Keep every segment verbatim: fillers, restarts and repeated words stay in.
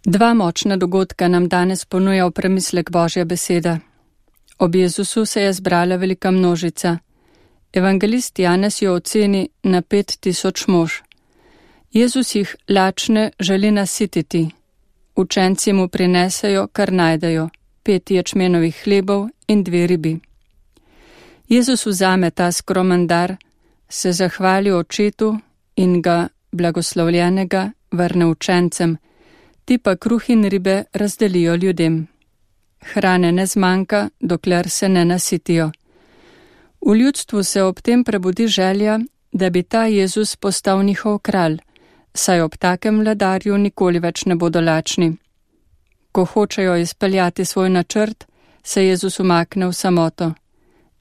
Dva močna dogodka nam danes ponuja v premislek Božja beseda. Ob Jezusu se je zbrala velika množica. Evangelist Janez jo oceni na pet tisoč mož. Jezus jih lačne želi nasititi. Učenci mu prinesejo, kar najdejo, pet ječmenovih hlebov in dve ribi. Jezus vzame ta skromen dar, se zahvali očetu in ga, blagoslovljenega, vrne učencem, ti pa kruh in ribe razdelijo ljudem. Hrane ne zmanjka, dokler se ne nasitijo. V ljudstvu se ob tem prebudi želja, da bi ta Jezus postal njihov kralj, saj ob takem vladarju nikoli več ne bodo lačni. Ko hočejo izpeljati svoj načrt, se Jezus umakne v samoto.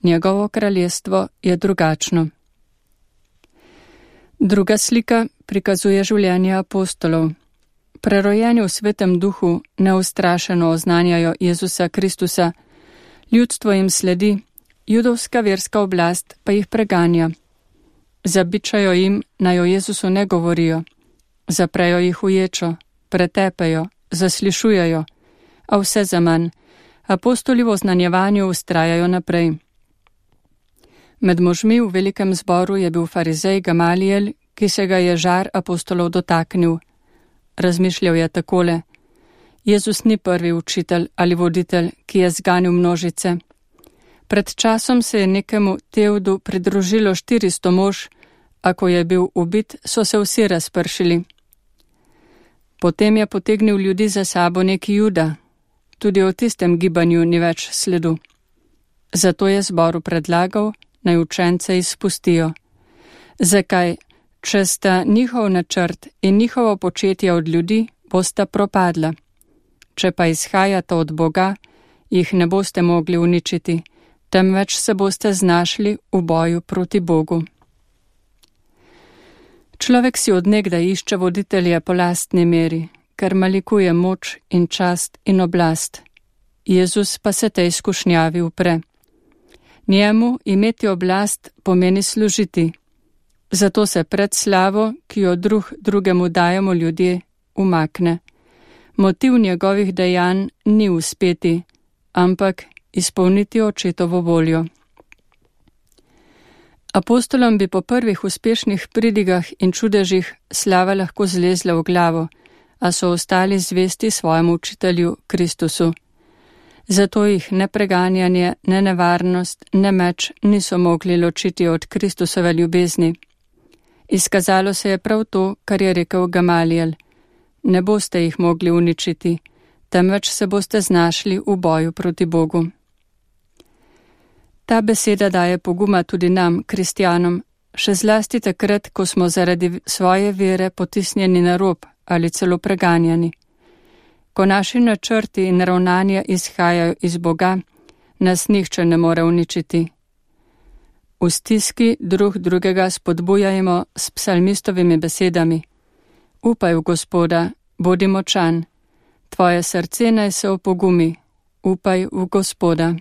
Njegovo kraljestvo je drugačno. Druga slika prikazuje življenje apostolov. Prerojeni v svetem duhu neustrašeno oznanjajo Jezusa Kristusa, ljudstvo jim sledi, judovska verska oblast pa jih preganja. Zabičajo jim, naj o Jezusu ne govorijo, zaprejo jih v ječo, pretepejo, zaslišujejo, a vse zaman, apostoli v oznanjevanju vztrajajo naprej. Med možmi v velikem zboru je bil farizej Gamalijel, ki se ga je žar apostolov dotaknil. Razmišljal je takole: Jezus ni prvi učitelj ali voditelj, ki je zganil množice. Pred časom se je nekemu Tevdu pridružilo štiristo mož, a ko je bil ubit, so se vsi razpršili. Potem je potegnil ljudi za sabo neki Juda. Tudi o tistem gibanju ni več sledu. Zato je zboru predlagal, naj učence izpustijo. Zakaj? Če sta njihov načrt in njihovo početje od ljudi, bosta propadla. Če pa izhajata od Boga, jih ne boste mogli uničiti, temveč se boste znašli v boju proti Bogu. Človek si odnegdaj išče voditelje po lastni meri, ker malikuje moč in čast in oblast. Jezus pa se tej skušnjavi upre. Njemu imeti oblast pomeni služiti. Zato se pred slavo, ki jo drug drugemu dajemo ljudje, umakne. Motiv njegovih dejanj ni uspeti, ampak izpolniti očetovo voljo. Apostolom bi po prvih uspešnih pridigah in čudežih slava lahko zlezla v glavo, a so ostali zvesti svojemu učitelju Kristusu. Zato jih ne preganjanje, ne nevarnost, ne meč niso mogli ločiti od Kristusove ljubezni. Izkazalo se je prav to, kar je rekel Gamalijel. Ne boste jih mogli uničiti, temveč se boste znašli v boju proti Bogu. Ta beseda daje poguma tudi nam, kristjanom, še zlasti takrat, ko smo zaradi svoje vere potisnjeni na rob ali celo preganjani. Ko naši načrti in ravnanja izhajajo iz Boga, nas nihče ne more uničiti. V stiski drug drugega spodbujajmo s psalmistovimi besedami. Upaj v Gospoda, bodi močan, tvoje srce naj se opogumi, upaj v Gospoda.